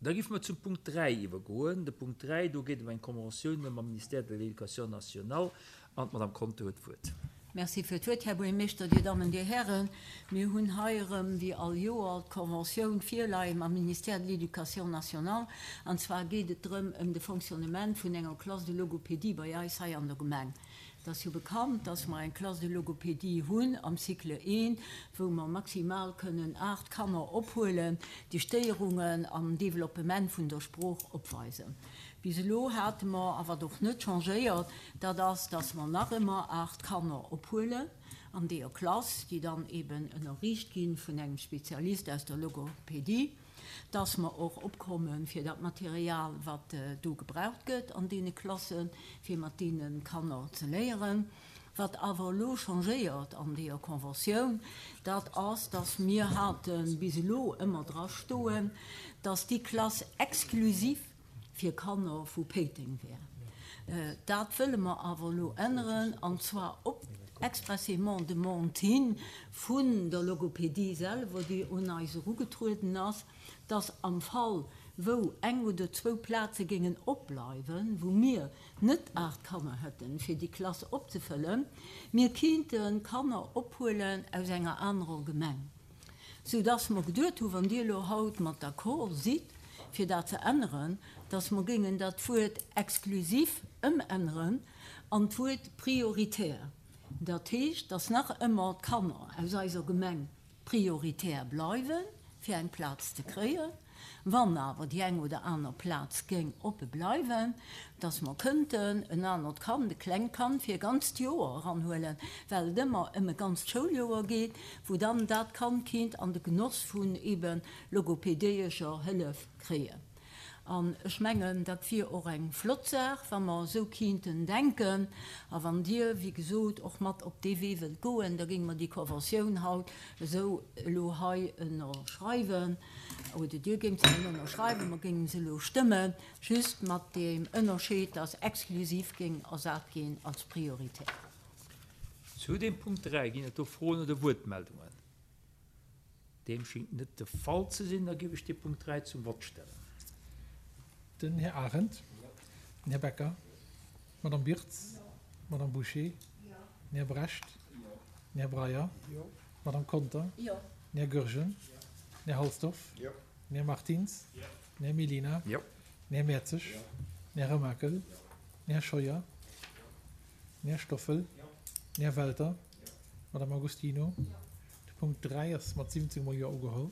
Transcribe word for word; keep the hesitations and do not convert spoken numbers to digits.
Da géife mer zum Punkt dräi iwwergoen. De Punkt dräi, do geet et ëm eng Conventioun mam Ministère de l'Éducation nationale an d'Madame Conter huet d'Wuert. Merci fir d'Wuert, Här Buergermeeschter, Dir Dammen, Dir Hären. Mir hunn hei erëm, wéi all Joer, d'Conventioun virleie mam Ministère de l'Éducation nationale. An zwar geet et drëm ëm de Fonctionnement vun enger Classe de logopédie bei eis hei an der Gemeng. Et ass jo bekannt, dass mer eng Classe de logopédie hunn am Cycle I, wou mer maximal kënnen aacht Kanner ophuelen, déi Stéierungen am Développement vun der Sprooch opweisen. Bis elo hate mer, a wat och net changéiert, dat ass, dass mer nach ëmmer aacht Kanner ophuelen an deeër Klass, déi dann eben ënnerriicht gi vun engem Spezialist aus der Logopédie. dass mer och opkomme fir dat Material, wat do gebraucht gëtt an deene Klassen, fir mat deene Kanner ze léieren. Wat awer elo changéiert an deeër Conventioun, dat ass, dass mir hate bis elo ëmmer drastoen, dass déi Klass exklusiv fir Kanner vu Péiteng wär. Dat wëlle mer awer elo änneren, an zwar op expressément Demande hin vun der Logopédie selwer, déi un eis erugetrueden ass, dass am Fall, wou eng oder zwou Plaze géingen opbleiwen, wou mir net aacht Kanner hätten, fir déi Klass opzefëllen, mir kéinte Kanner ophuelen aus enger anerer Gemeng. Soudass mer geduet hunn, wann Dir elo haut mat d'accord sidd, fir dat ze änneren, dass mer géingen dat Wuert exklusiv ëmänneren an d'Wuert prioritär. Dat heescht, dass nach ëmmer d'Kanner aus eiser Gemeng prioritär bleiwen, fir eng Plaz ze kréien. Wann awer déi eng oder aner Plaz géing oppe bleiwen, dass mer kënnten en anert Kand, e klengt Kand fir e ganzt Joer eranhuelen, well et ëmmer ëm e ganzt Schouljoer geet, wou dann dat Kand kinnt an de Genoss vun ebe logopedéescher Hëllef kréien. An ech mengen, dat wier och eng flott Saach, wa mer esou kinnten denken. A wann Dir, wéi gesot, och mat op dee Wee wëllt goen, da géinge mer déi Conventioun haut esou elo hei ënnerschreiwen, oder Dir géingt se dann ënnerschreiwen, mer géinge se elo stëmmen, just mat deem Ënnerscheed, dass exklusiv géing ersat ginn als prioritär. Zu deem Punkt dräi ginn et do Froen oder Wuertmeldungen? Deem schéngt net de Fall ze sinn. Da géif ech dee Punkt dräi zum Vott stellen. Den Här Arendt. Den Här Becker. D'Madame Birtz. D'Madame Bouché. Den Här Brecht. Den Här Breyer. D'Madame Conter. Den Här Goergen. Den Här Halsdorf. Den Här Martins. Den Här Mellina. Den Här Mertzig. Den Här Remakel. Den Här Scheuer. Den Här Stoffel. Den Här Welter. D'Madame Agostino. De Punkt dräi ass mat siwwenzéng mol Jo ugeholl.